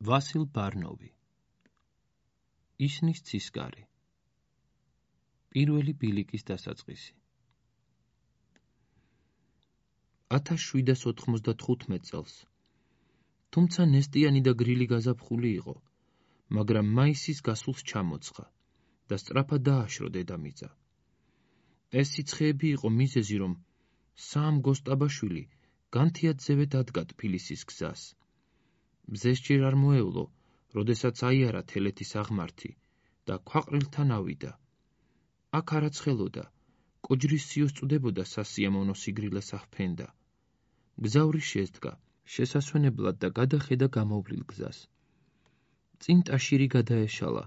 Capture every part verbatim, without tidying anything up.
ვასილ ბარნოვი. ისნის ცისკარი. პირველი ბილიკის დასაწყისი. ათას შვიდას ოთხმოცდათხუთმეტ წელს. თუმცა ნესტიანი და გრილი გაზაფხული იყო, მაგრამ მაისის გასულს ჩამოცხა და სწრაფად დააშრო დედამიწა. ეს სიცხეები იყო მიზეზი, რომ საამ გოსტაბაშვილი განთიადზევეთ ადგა თბილისის გზას. მზეს ჯერ არ მოევლო, როდესაც აიარა თელეთის აღმართი და ქვაყრილთან ავიდა. აქ არაცხელოდა, კოჯრის სიოს წვდებოდა სასიამოვნო სიგრილეს ახფენდა. გზავრი შედგა, შესასვენებლად და გადახედა გამოვლილ გზას. წინ ტაშირი გადაეშალა,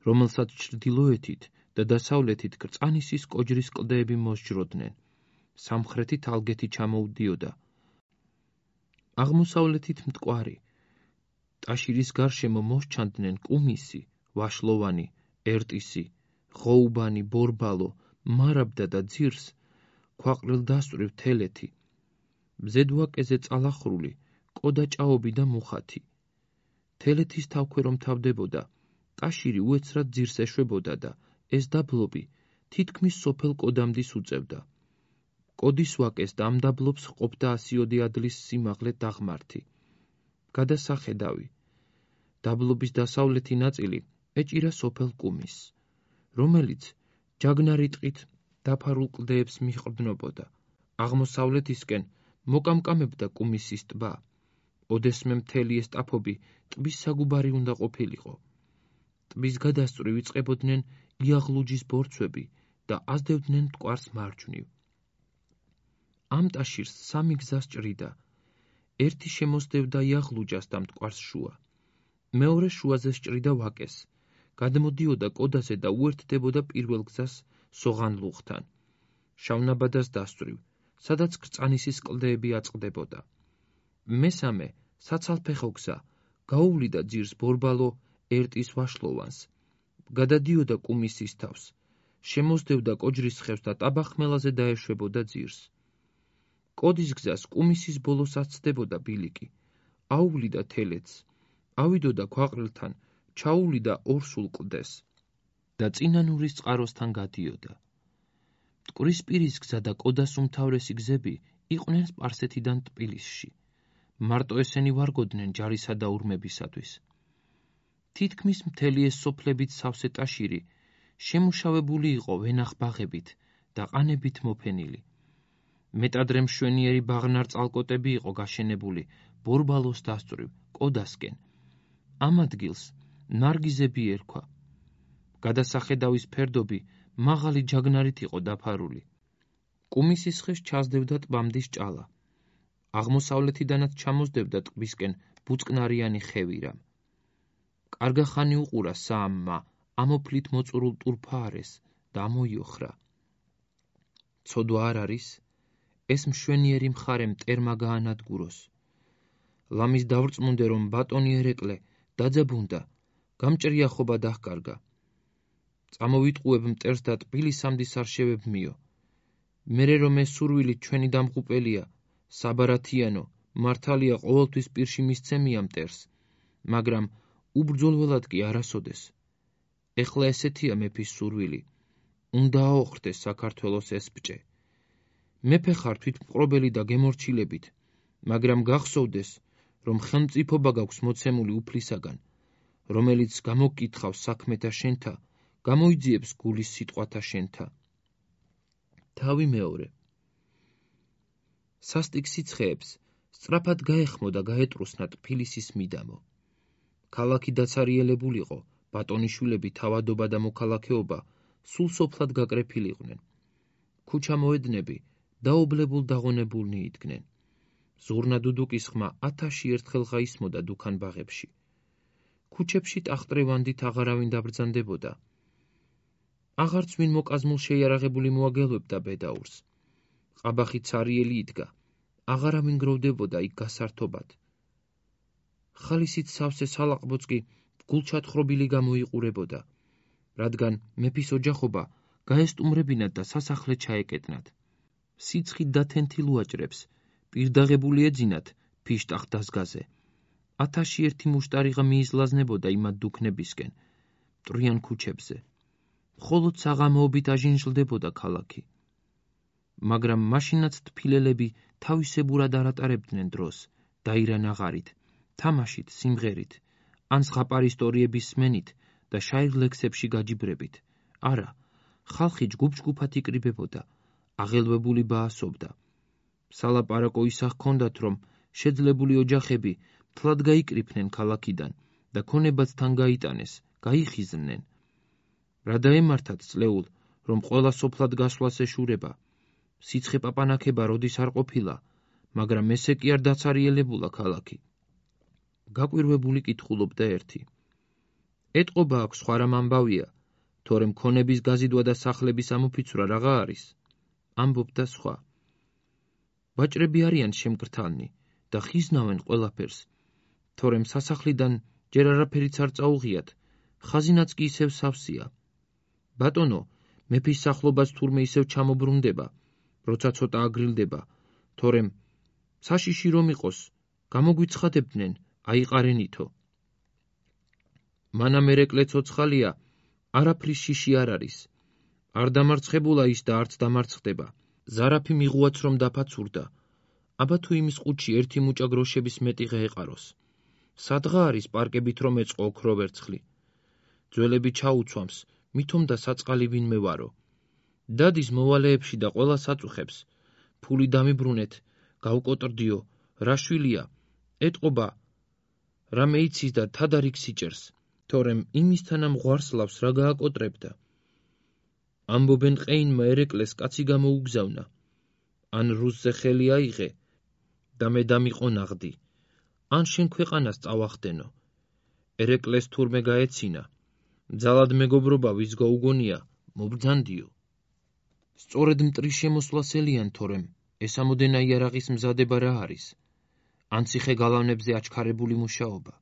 რომელსაც ჩრდილოეთით და დასავლეთით კრწანისის კოჯრის კლდეები მოსჯროდნენ. სამხრეთით ალგეთი ჩამოუდიოდა. აღმოსავლეთით მტკვარი. ტაშირის გარშემო მოსჩანდნენ კუმისი, ვაშლოვანი, ერტისი, ღოუბანი, ბორბალო, მარაბდა და ძირს, ქვაყრილ დასწვრივ თელეთი. მზედ ვაკეზე წალახრული, კოდაჭაობი და მუხათი. თელეთის თავქვე რომ თავდებოდა, ტაშირი უეცრად ძირს ეშვებოდა და ეს დაბლობი თითქმის სოფელ კოდამდის უწევდა. კოდის ვაკეს და ამ დაბლობს ჰყოფდა ასიოდე ადლის სიმაღლე დაღმართი. გადასახედავი. დაბლობის დასავლეთი ნაწილი ეჭირა სოფელ კუმისს, რომელიც ჯაგნარი ტყით დაფარულ კლდეებს მიჰყრდნობოდა. აღმოსავლეთისკენ მოკამკამებდა კუმისის ტბა. ოდესმე მთელი ეს ტაფობი ტბის საგუბარი უნდა ყოფილიყო. ტბის გადასწვრივ იწყებოდნენ იაღლუჯის ბორცვები და აზდევდნენ მტკვარს მარჯვნივ. ამ ტაშირს სამი გზა სჭრიდა. ერთი შემოსდევდა იაღლუჯას და მტკვარს შუა. მეორე შუაზე სჭრიდა ვაკეს, გადმოდიოდა კოდაზე და უერთდებოდა პირველ გზას სოღანლუღთან, შავნაბადას დასწვრივ, სადაც კრწანისის კლდეები აწყდებოდა. მესამე, საცალფეხო გზა, გაუვლიდა ძირს ბორბალო ერტის ვაშლოვანს, გადადიოდა კუმისის თავს, შემოსდევდა კოჯრის ხევს და ტაბახმელაზე დაეშვებოდა ძირს. კოდის გზას კუმისის ბოლოს აცდებოდა ბილიკი, აუვლიდა თელეთს, ავიდოდა ქვაყრილთან, ჩაუვლიდა ორსულ კლდეს და წინანურის წყაროსთან გადიოდა. მტკვრისპირის გზა და კოდას უმთავრესი გზები იყვნენ სპარსეთიდან თბილისში. მარტო ესენი ვარგოდნენ ჯარისა და ურმებისათვის. თითქმის მთელი ეს სოფლებით სავსე ტაშირი შემუშავებული იყო ვენახ-ბაღებით და ყანებით მოფენილი. მეტადრე მშვენიერი ბაღნარ-წალკოტები იყო გაშენებული ბორბალოს დასწვრივ, კოდასკენ. ამ ადგილს ნარგიზები ერქვა. გადასახედავის ფერდობი მაღალი ჯაგნარით იყო დაფარული. კუმისის ხეს ჩასდევდა ტბამდის ჭალა. აღმოსავლეთიდანაც ჩამოსდევდა ტბისკენ ბუწკნარიანი ხევირა. კარგახანი უყურა საამმა ამოფლით მოწურულ ტურფაარეს და ამოიოხრა. ცოდვა არ არის, ეს მშვენიერი მხარე მტერმა გაანადგუროს. ლამის დავრწმუნდე, რომ ბატონი ერეკლე დაძაბუნდა, გამჭრია ხობა დაჰკარგა. წამოვიტყუებ მტერს და თბილისამდის არ შევებმიო. მერე რომ ეს სურვილი ჩვენი დამღუპელია, საბარათიანო, მართალია ყოველთვის პირში მისცემია მტერს, მაგრამ უბრძოლველად კი არასოდეს. ეხლა ესეთია მეფის სურვილი, უნდა აოხრდეს საქართველოს ეს ბჭე. მეფე ხარ თვითმპყრობელი და გემორჩილებით, მაგრამ გახსოვდეს, რომ ხელმწიფობა გაქვს მოცემული უფლისაგან, რომელიც გამოგკითხავს საქმეთა შენთა, გამოიძიებს გულის სიტყვათა შენთა. თავი მეორე. სასტიკ სიცხეებს სწრაფად გაეხმო და გაეტრუსნა თბილისის მიდამო. ქალაქი დაცარიელებულიყო, ბატონიშვილები, თავადობა და მოქალაქეობა სულ სოფლად გაკრეფილიყვნენ. ქუჩა მოედნები დაობლებულ დაღონებულნი იდგნენ. ზურნა დუდუკის ხმა ათასში ერთხელ გაისმოდა დუქან-ბაღებში. ქუჩებში ტახტრევანდით აღარავინ დაბრძანდებოდა. აღარც ვინ მოკაზმულ შეიარაღებული მოაგელვებდა ბედაურს. ყაბახი ცარიელი იდგა, აღარავინ გროვდებოდა იქ გასართობად. ხალისით სავსე სალაყბოც კი გულჩათხრობილი გამოიყურებოდა, რადგან მეფის ოჯახობა გაესტუმრებინათ და სასახლე ჩაეკეტნათ. სიცხით დათენთილ უაჭრებს პირდაღებული ეძინათ ფიშტახ დასგაზე. ათასში ერთი მუშტარიღა მიიზლაზნებოდა იმად დუქნებისკენ, მტრიან ქუჩებზე. მხოლოდ საღამოობით აჟინჟლდებოდა ქალაქი. მაგრამ მაშინაც თბილელები თავისებურად არ ატარებდნენ დროს, დაირან აღარით, თამაშით, სიმღერით, ან ზღაპარ ისტორიების სმენით და შაირ ლექსებში გაჯიბრებით. არა, ხალხი ჯგუფ-ჯგუფად იკრიბებოდა, აღელვებული ბაასობდა. სალაპარაკო ისა ჰქონდათ, რომ შეძლებული ოჯახები მთლად გაიკრიფნენ ქალაქიდან და ქონებაც თან გაიტანეს, გაიხიზნენ. რა დაემართათ წლეულ, რომ ყველა სოფლად გასვლას ეშურება. სიცხე პაპანაქება როდის არ ყოფილა, მაგრამ ესე კი არ დაცარიელებულა ქალაქი. გაკვირვებული კითხულობდა ერთი. ეტყობა აქვს სხვა რამ ამბავია, თორემ ქონების გაზიდვა და სახლების ამოფიცვრა რაღა არის? ამბობდა სხვა. ვაჭრები არიან შემკრთალნი და ხიზნავენ ყველაფერს, თორემ სასახლიდან ჯერ არაფერიც არ წაუღიათ, ხაზინაც კი ისევ სავსეა. ბატონო, მეფის სახლობას თურმე ისევ ჩამობრუნდება, როცა ცოტა აგრილდება, თორემ საშიში რომ იყოს, გამოგვიცხადებდნენ, აიყარენითო. მანამ ერეკლე ცოცხალია, არაფრის შიში არ არის. არ დამარცხებულა ის და არც დამარცხდება. ზარაფი მიღუაც რომ დაფაცურდა. აბა თუ იმის ყუთში ერთი მუჭა გროშების მეტიღე ეყაროს. სადღა არის პარკებით რომ ეწყო ოქრო ვერცხლი. ძველები ჩაუცვამს, მithom და საწყალი ვინმე ვარო. დადის მოვალეებში და ყველა საწუხებს. ფული დამიბრუნეთ, გავკოტრდიო, რა შვილია, ეტყობა, რამე იცის და თადარიგ სიჭერს, თორემ იმისთანა მღვარსლავს რა გააკოტრებდა. ამბობენ ყეინმა ერეკლეს კაცი გამოუგზავნა. ან რუსზე ხელი აიღე და მე დამიყო ნაღდი, ან შენ ქვეყანას წავახდენო. ერეკლეს თურმე გაეცინა. ძალად მეგობრობა ვის გაუგონია, მობრძანდიო. სწორედ მტრის შემოსვლასელიან, თორემ ეს ამოდენა იარაღის მზადება რა არის? ან ციხე გალავნებზე აჩქარებული მუშაობა.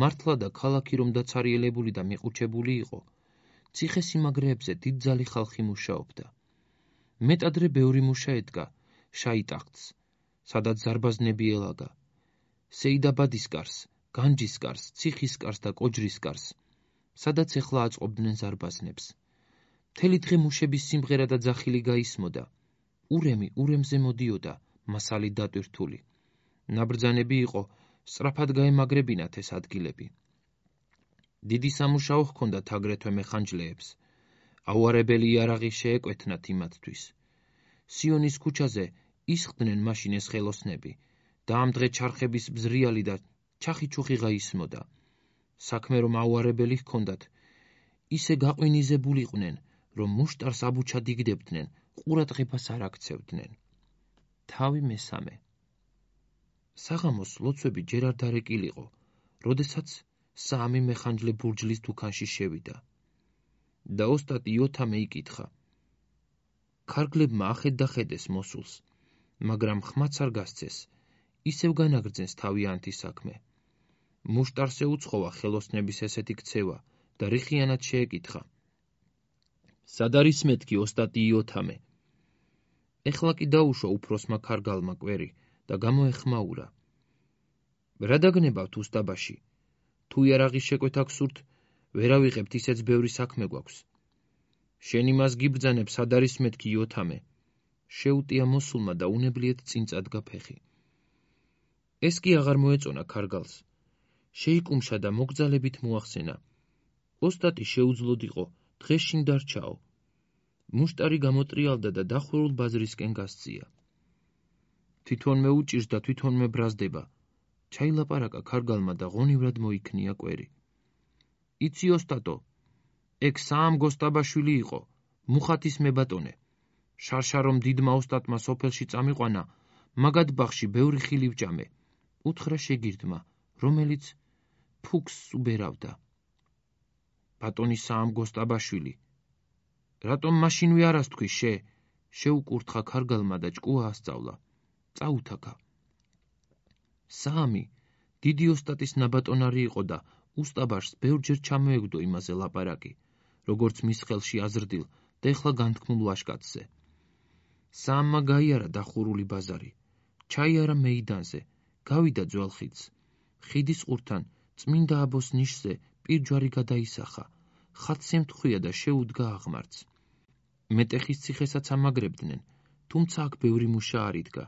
მართლა და ქალაქი რომ დაცარიელებული და მიყუჩებული იყო, ციხე-სიმაგრეებზე დიდძალი ხალხი მუშაობდა. მეტადრე ბევრი მუშა ედგა შაიტახტს, სადაც ზარბაზნები ელაგა, სეიდაბადისკარს, განჯისკარს, ციხისკარს და კოჯრისკარს, სადაც ეხლა აწყობდნენ ზარბაზნებს. მთელი დღე მუშების სიმღერა და ძახილი გაისმოდა. ურემი ურემზე მოდიოდა, მასალი დატვირთული. ნაბრძანები იყო, სწრაფად გაემაგრებინათ ეს ადგილები. დიდი სამუშაო ჰქონდათ აგრეთვე მეხანჯლეებს. აუარებელი იარაღი შეეკვეთნათ იმათთვის. სიონის ქუჩაზე ისხდნენ მაშინ ეს ხელოსნები და ამ დღე ჩარხების ბზრიალი და ჩახიჩუხი გაისმოდა. საქმე რომ აუარებელი ჰქონდათ, ისე გაყვინიზებულიყვნენ, რომ მუშტარს აბუჩად იგდებდნენ, ყურადღებას არ აქცევდნენ. თავი მესამე. საღამოს ლოცვები ჯერ არ დარეკილიყო, როდესაც სამი მეხანჯლე ბურჯლის დუქანში შევიდა. და ოსტატი იოთამე იკითხა. ქარგლებმა ახედახედეს მოსულს, მაგრამ ხმაც არ გასცეს, ისევ განაგრძენს თავიანთი საქმე. მუშტარს ეუცხოვა ხელოსნების ესეთი ქცევა და რიხიანად შეეკითხა. სად არის მეთქი ოსტატი იოთამე? ეხლა კი დაუშვა უფროსმა ქარგალმა კვერი და გამოეხმაურა. რა დაგნებავთ უსტაბაში? თუ იარაღის შეკვეთა გსურთ, ვერ ავიღებთ, ისეც ბევრი საქმე გვაქვს. შენ იმას გიბრძანებ, სად არის მეთქი იოთამე? შეუტია მოსულმა და უნებლიეთ წინ წადგა ფეხი. ეს კი აღარ მოეწონა ქარგალს. შეიკუმშა და მოგძალებით მოახსენა. ოსტატი შეუძლოდ იყო, დღეშინ დარჩაო. მუშტარი გამოტრიალდა და დახურულ ბაზრისკენ გასწია. თვითონმე უჭირს და თვითონმე ბრაზდება. ჩაილაპარაკა ქარგალმა და ღონივრად მოიქნია კვერი. იცი ოსტატო, ეგ საამ გოსტაბაშვილი იყო, მუხათის მებატონე. შარშარომ დიდმა ოსტატმა სოფელში წამიყვანა, მაგად ბაღში ბევრი ხილი ვჭამე. უთხრა შეგირდმა, რომელიც ფუქს უბერავდა. ბატონი საამ გოსტაბაშვილი. რატომ მაშინ ვიარას თქვი შე? შეუკურთხა ქარგალმა და ჭკუა ასწავლა. წაუთაკა. სამი დიდი ოსტატის ნაბატონარი იყო და უსტაბაშს ბევრჯერ ჩამოეგდო იმაზე ლაპარაკი, როგორც მის ხელში აზრდილ და ეხლა განთქმულ ვაშკაცზე. სამმა გაიარა დახურული ბაზარი, ჩაიარა მეიდანზე, გავიდა ძველ ხიდს, ხიდის ყურთან წმინდა აბოს ნიშზე პირჯვარი გადაისახა, ხატს ემთხვია და შეუდგა აღმართს. მეტეხის ციხესაც ამაგრებდნენ, თუმცა აქ ბევრი მუშა არ იდგა,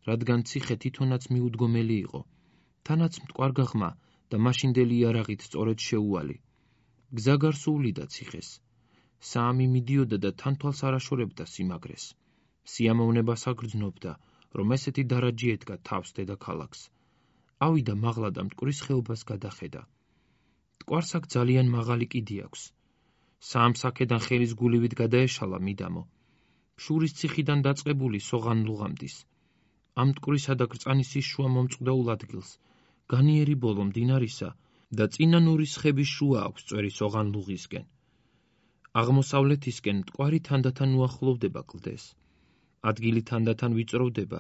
რადგან ციხე თვითონაც მიუდგომელი იყო, თანაც მტკვარ გაღმა და მაშინდელი იარაღით სწორედ შეუვალი. გზა გარსუვლიდა ციხეს. საამი მიდიოდა და თან თვალს არ აშორებდა სიმაგრეს. სიამოვნებას აგრძნობდა, რომ ესეთი დარაჯი ედგა თავს დედაქალაქს. ავიდა მაღლა და მტკვრის ხეობას გადახედა. მტკვარს აქ ძალიან მაღალი კიდი აქვს. საამსაქედან ხელის გულივით გადაეშალა მიდამო. შურის ციხიდან დაწყებული სოღანლუღამდის. ამ მტკვრისა და კრწანისის შუა მომწყდაულ ადგილს, განიერი ბოლო მდინარისა და წინა ნურის ხების შუა აქვს წვერი სოღანლუღისკენ. აღმოსავლეთისკენ მტკვარი თანდათან უახლოვდება კლდეს. ადგილი თანდათან ვიწროვდება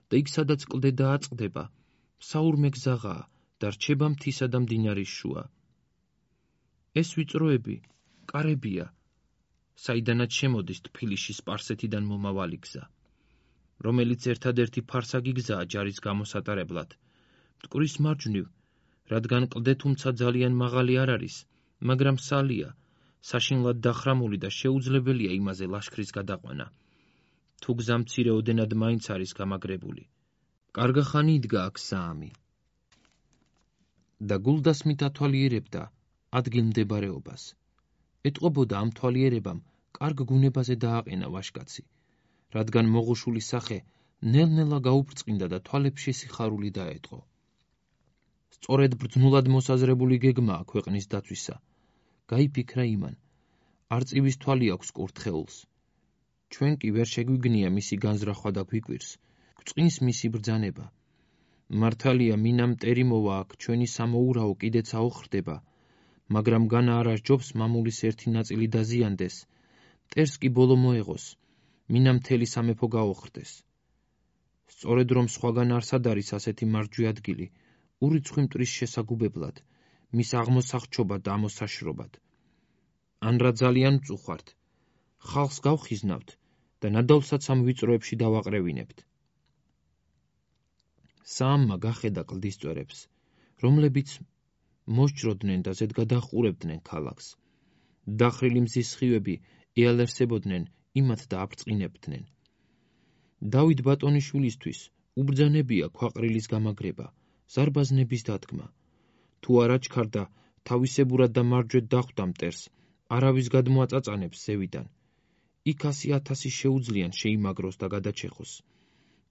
და იქ სადაც კლდე დააწყდება, საურმე გზაღაა და რჩება მთისა და მდინარის შუა. ეს ვიწროები კარებია, საიდანაც შემოდის თბილისში სპარსეთიდან მომავალი გზა, რომელიც ერთადერთი ფარსაგი გზაა ჯარის გამოსატარებლად. მტკვრის მარჯვნივ, რადგან კლდე თუმცა ძალიან მაღალი არ არის, მაგრამ სალია, საშინლად დახრამული და შეუძლებელია იმაზე ლაშქრის გადაყვანა. თუ გზა მცირეოდენად მაინც არის გამაგრებული. კარგახანი იდგა აქ საამი. და გულდასმით ათვალიერებდა ადგილმდებარეობას. ეტყობოდა ამ თვალიერებამ კარგ გუნებაზე დააყენა ვაჟკაცი, რადგან მოღუშული სახე ნელ-ნელა გაუბრწყინდა და თვალებში სიხარული დაეტყო. სწორედ ბრძნულად მოსაზრებული გეგმაა ქვეყნის დაცვისა. გაიფიქრა იმან, არწივის თვალი აქვს კურთხეულს. ჩვენ კი ვერ შეგვიგნია მისი განზრახვა და გვიკვირს, გვწყინს მისი ბრძანება. მართალია მინამ მტერი მოვა აქ, ჩვენი სამოურაო კიდეც აოხრდება, მაგრამ განა არა სჯობს მამულის ერთი ნაწილი დაზიანდეს, მტერს კი ბოლო მოეღოს, მინამ მთელი სამეფო გაოხრდეს. სწორედ რომ სხვაგან არსად არის ასეთი მარჯვე ადგილი, ურიცხვი მტრის შესაგუბებლად, მის აღმოსახჩობად და ამოსაშრობად. ან რა ძალიან მწუხვართ, ხალხს გავხიზნავთ და ნადავლსაც ამ ვიწროებში დავაყრევინებთ. საამმა გახედა კლდის წვერებს, რომლებიც მოსჯროდნენ და ზედ გადაჰყურებდნენ ქალაქს. დახრილი მზის სხივები ეალერსებოდნენ იმათ და აფრწყინებდნენ. დავით ბატონიშვილისთვის უბრძანებია ქვაყრილის გამაგრება, ზარბაზნების დადგმა. თუ არ აჩქარდა თავისებურად და მარჯვედ დახვდა მტერს, არავის გადმოაწაწანებს ზევიდან. იქ ასი ათასი შეუძლიან შეიმაგროს და გადაჩეხოს.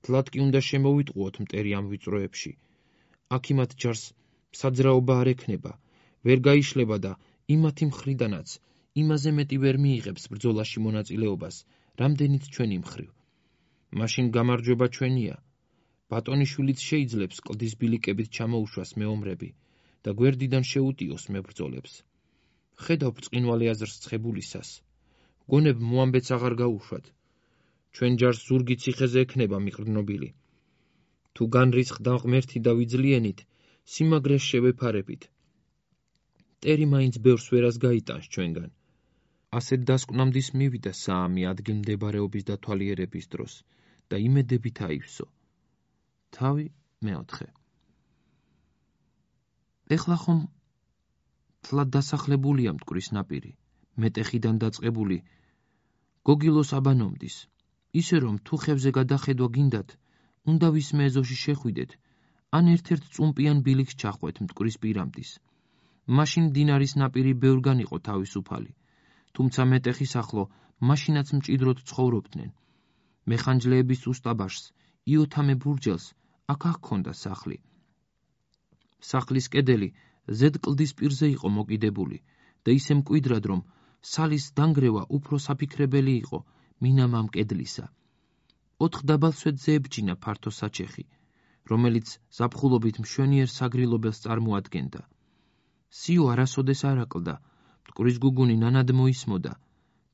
თლად კი უნდა შემოვიტყუოთ მტერი ამ ვიწროებში. აქ იმათ ჯარს საძრაობა არ ექნება, ვერ გაიშლება და იმათი მხრიდანაც იმაზე მეტი ვერ მიიღებს ბრძოლაში მონაწილეობას, რამდენიც ჩვენი მხრივ. მაშინ გამარჯვება ჩვენია. ბატონიშვილიც შეიძლებს კლდის ბილიკებით ჩამოუშვას მეომრები და გვერდიდან შეუტიოს მებრძოლებს. ხედავ ბრწყინვალე აზრს ცხებულისას. გონებ მოამბეც აღარ გაუშვათ. ჩვენ ჯარს ზურგი ციხეზე ექნება მიყრდნობილი. თუ განრისხდა ღმერთი და ვიძლიენით, სიმაგრეს შევეფარებით. მტერი მაინც ბევრს ვერას გაიტანს ჩვენგან. ასეთ დასკვნამდის მივიდა საამი ადგილმდებარეობის დათვალიერების დროს და იმედებით აივსო. თავი მეოთხე. ეხლა ხომ თლად დასახლებულია მტკვრის ნაპირი, მეტეხიდან დაწყებული გოგილოს აბანომდის, ისე რომ თუ ხევზე გადახედვა გინდათ, უნდა ვისმე ეზოში შეხვიდეთ, ან ერთ-ერთ წუმპიან ბილიქს ჩახვეთ მტკვრის პირამდის. მაშინ მდინარის ნაპირი ბევრგან იყო თავისუფალი, თუმცა მეტეხის ახლო მაშინაც მჭიდროდ ცხოვრობდნენ. მეხანჯლეების უსტაბაშს, იოთამე ბურჯელს აქ ჰქონდა სახლი. სახლის კედელი ზედ კლდის პირზე იყო მოკიდებული და ისე მკვიდრად, რომ სალის დანგრევა უფრო საფიქრებელი იყო მინამ ამ კედლისა. ოთხ დაბალ სვეტზე ებჯინა ფართო საჩეხი, რომელიც ზაფხულობით მშვენიერ საგრილობელს წარმოადგენდა. სიო არასოდეს არ აკლდა, მტკვრის გუგუნი ნანად მოისმოდა,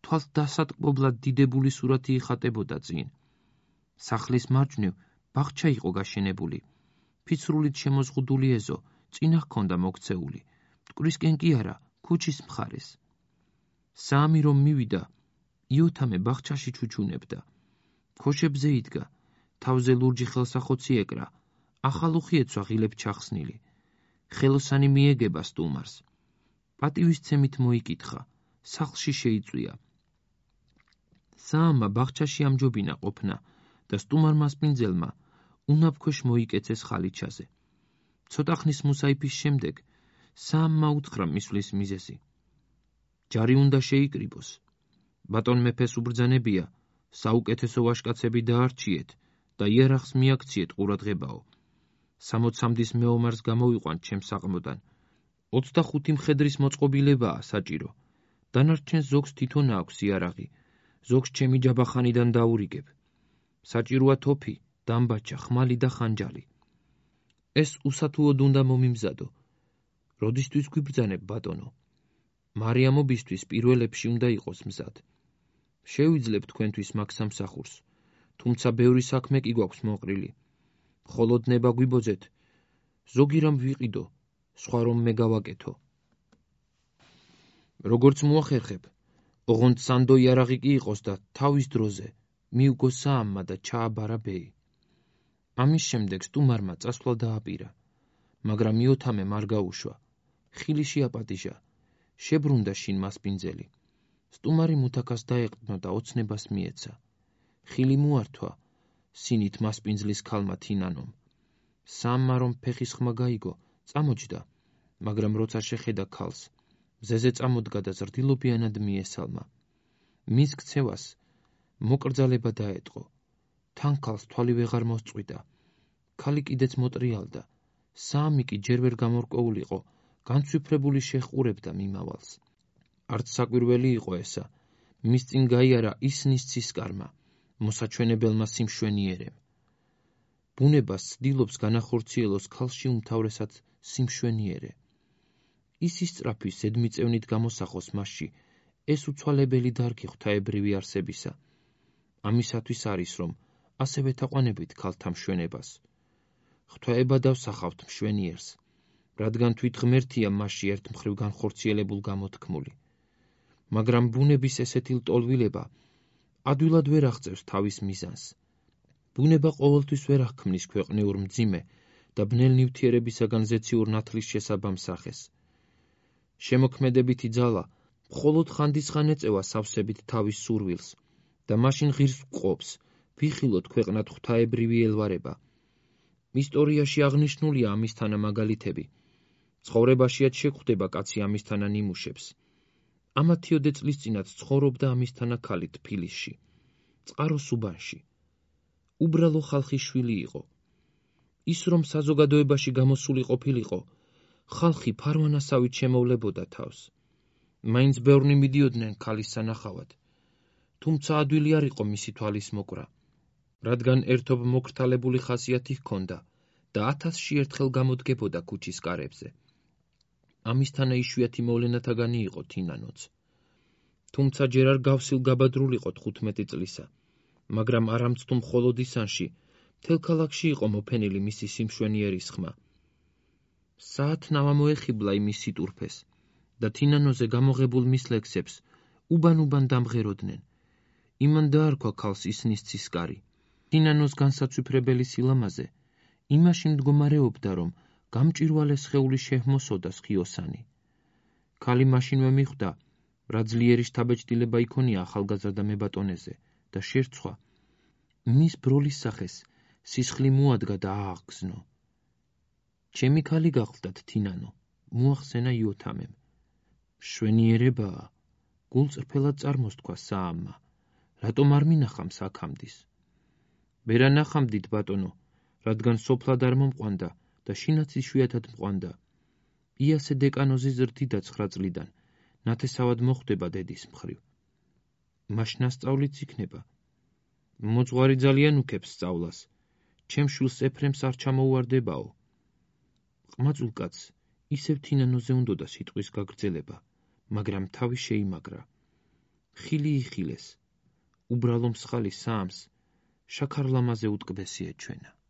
თვალს დასატკბობლად დიდებული სურათი იხატებოდა წინ. სახლის მარჯვნივ ბაღჩა იყო გაშენებული, ფიცრულით შემოზღუდული ეზო წინა ჰქონდა მოქცეული, მტკვრისკენ კი არა, ქუჩის მხარეს. საამი რომ მივიდა, იოთამე ბაღჩაში ჩუჩუნებდა. ქოშებზე იდგა, თავზე ლურჯი ხელსახოცი ეკრა, ახალუხი ეცვა ღილებ ჩახსნილი. ხელოსანი მიეგება სტუმარს. პატივისცემით მოიკითხა, სახლში შეიწვია. საამმა ბაღჩაში ამჯობინა ყოფნა და სტუმარ მასპინძელმა უნაფქვეშ მოიკეცეს ხალიჩაზე. ცოტა ხნის მუსაიფის შემდეგ საამმა უთხრა მისვლის მიზეზი. ჯარი უნდა შეიკრიბოს. ბატონ მეფეს უბრძანებია, საუკეთესო ვაჟკაცები დაარჩიეთ და იარაღს მიაქციეთ ყურადღებაო. სამოცამდის მეომარს გამოვიყვანთ ჩემს საყმოდან. ოცდახუთი მხედრის მოწყობილებაა საჭირო. დანარჩენ ზოგს თვითონ აქვს იარაღი, ზოგს ჩემი ჯაბახანიდან დაურიგებ. საჭიროა თოფი, დამბაჩა, ხმალი და ხანჯალი. ეს უსათუოდ უნდა მომიმზადო. როდისთვის გვიბრძანებ, ბატონო? მარიამობისთვის პირველებში უნდა იყოს მზად. შევიძლებ თქვენთვის მაგ სამსახურს, თუმცა ბევრი საქმე კი გვაქვს მოყრილი. მხოლოდ ნება გვიბოძეთ, ზოგი რამ ვიყიდო, სხვა რომ მე გავაკეთო. როგორც მოახერხებ, ოღონდ სანდო იარაღი კი იყოს და თავის დროზე მიუგო საამმა და ჩააბარა ბეი. ამის შემდეგ სტუმარმა წასვლა დააპირა, მაგრამ იოთამემ არ გაუშვა. ხილი შეაპატიჟა, შებრუნდა შინ მასპინძელი. სტუმარი მუთაქას დაეყრდნო და ოცნებას მიეცა. ხილი მოართვა, სინით მასპინძლის ქალმა თინანომ. საამმა რომ ფეხის ხმა გაიგო, წამოჯდა, მაგრამ როცა შეხედა ქალს, მზეზე წამოდგა და ზრდილობიანად მიესალმა. მის ქცევას მოკრძალება დაეტყო. თან ქალს თვალი ვეღარ მოსწყვიტა. ქალი კიდეც მოტრიალდა. საამი კი ჯერ ვერ გამორკვეულიყო, განცვიფრებული შეჰყურებდა მიმავალს. არც საკვირველი იყო ესა, მის წინ გაიარა ისნის ცისკარმა, მოსაჩვენებელმა სიმშვენიერემ. ბუნებას ცდილობს განახორციელოს ქალში უმთავრესად სიმშვენიერე. ის ისწრაფვის ზედმიწევნით გამოსახოს მასში, ეს უცვალებელი დარგი ღვთაებრივი არსებისა. ამისათვის არის, რომ ასევე თაყვანებით ქალთა მშვენებას. ღვთაება დავსახავთ მშვენიერს, რადგან თვით ღმერთია მასში ერთ მხრივ განხორციელებულ გამოთქმული. მაგრამ ბუნების ესეთი ლტოლვილება ადვილად ვერ აღწევს თავის მიზანს. ბუნება ყოველთვის ვერ აღქმნის ქვეყნიურ მძიმე და ბნელ ნივთიერებისაგან ზეციურ ნათლის შესაბამ სახეს. შემოქმედებითი ძალა მხოლოდ ხანდისხან ეწევა სავსებით თავის სურვილს და მაშინ ღირს ვყოფს, ვიხილოთ ქვეყნად ღვთაებრივი ელვარება. ისტორიაში აღნიშნულია ამისთანა მაგალითები. ცხოვრებაშიაც შეგვხვდება კაცი ამისთანა ნიმუშებს. ამათიოდე წლის წინათ ცხოვრობდა ამისთანა ქალი თბილისში, წყაროს უბანში. უბრალო ხალხის შვილი იყო. ის რომ საზოგადოებაში გამოსული ყოფილიყო, ხალხი ფარვანასავით შემოვლებოდა თავს. მაინც ბევრნი მიდიოდნენ ქალის სანახავად, თუმცა ადვილი არ იყო მისი თვალის მოკვრა, რადგან ერთობ მოკრთალებული ხასიათი ჰქონდა და ათასში ერთხელ გამოდგებოდა ქუჩის კარებზე. ამისთანა იშვიათი მოვლენათაგანი იყო თინანოც. თუმცა ჯერ არ გავსილ გაბადრულიყო თხუთმეტი წლისა, მაგრამ არამცთუ მხოლოდ ისანში, მთელ ქალაქში იყო მოფენილი მისი სიმშვენიერის ხმა. საათნავა მოეხიბლა იმის სიტურფეს და თინანოზე გამოღებულ მის ლექსებს უბან-უბან დამღეროდნენ. იმან დაარქვა ქალს ისნის ცისკარი. თინანოს განსაცვიფრებელი სილამაზე იმაში მდგომარეობდა, რომ გამჭვირვალე სხეული შეჰმოსოდა სხიოსანი. ქალი მაშინვე მიხვდა, რა ძლიერი შთაბეჭდილება იქონია ახალგაზრდა მებატონეზე და შერცვა. მის ბროლის სახეს სისხლი მოადგა და ააღგზნო. ჩემი ქალი გახლდათ თინანო, მოახსენა იოთამემ. მშვენიერებაა, გულწრფელად წარმოსთქვა საამმა, რატომ არ მინახამს აქამდის? ვერ ანახამდით, ბატონო, რადგან სოფლად არ მომყვანდა და შინაც იშვიათად მყვანდა. იასე დეკანოზი ზრდიდა ცხრა წლიდან, ნათესავად მოხვდება დედის მხრივ. მაშ ნასწავლიც იქნება. მოძღვარი ძალიან უქებს სწავლას, ჩემ შვილს ეფრემს არ ჩამოუვარდებაო. ყმაწვილ კაცს ისევ თინანოზე უნდოდა სიტყვის გაგრძელება, მაგრამ თავი შეიმაგრა. ხილი იხილეს, უბრალო მსხალი საამს შაქარლამაზე უტკბესი ეჩვენა.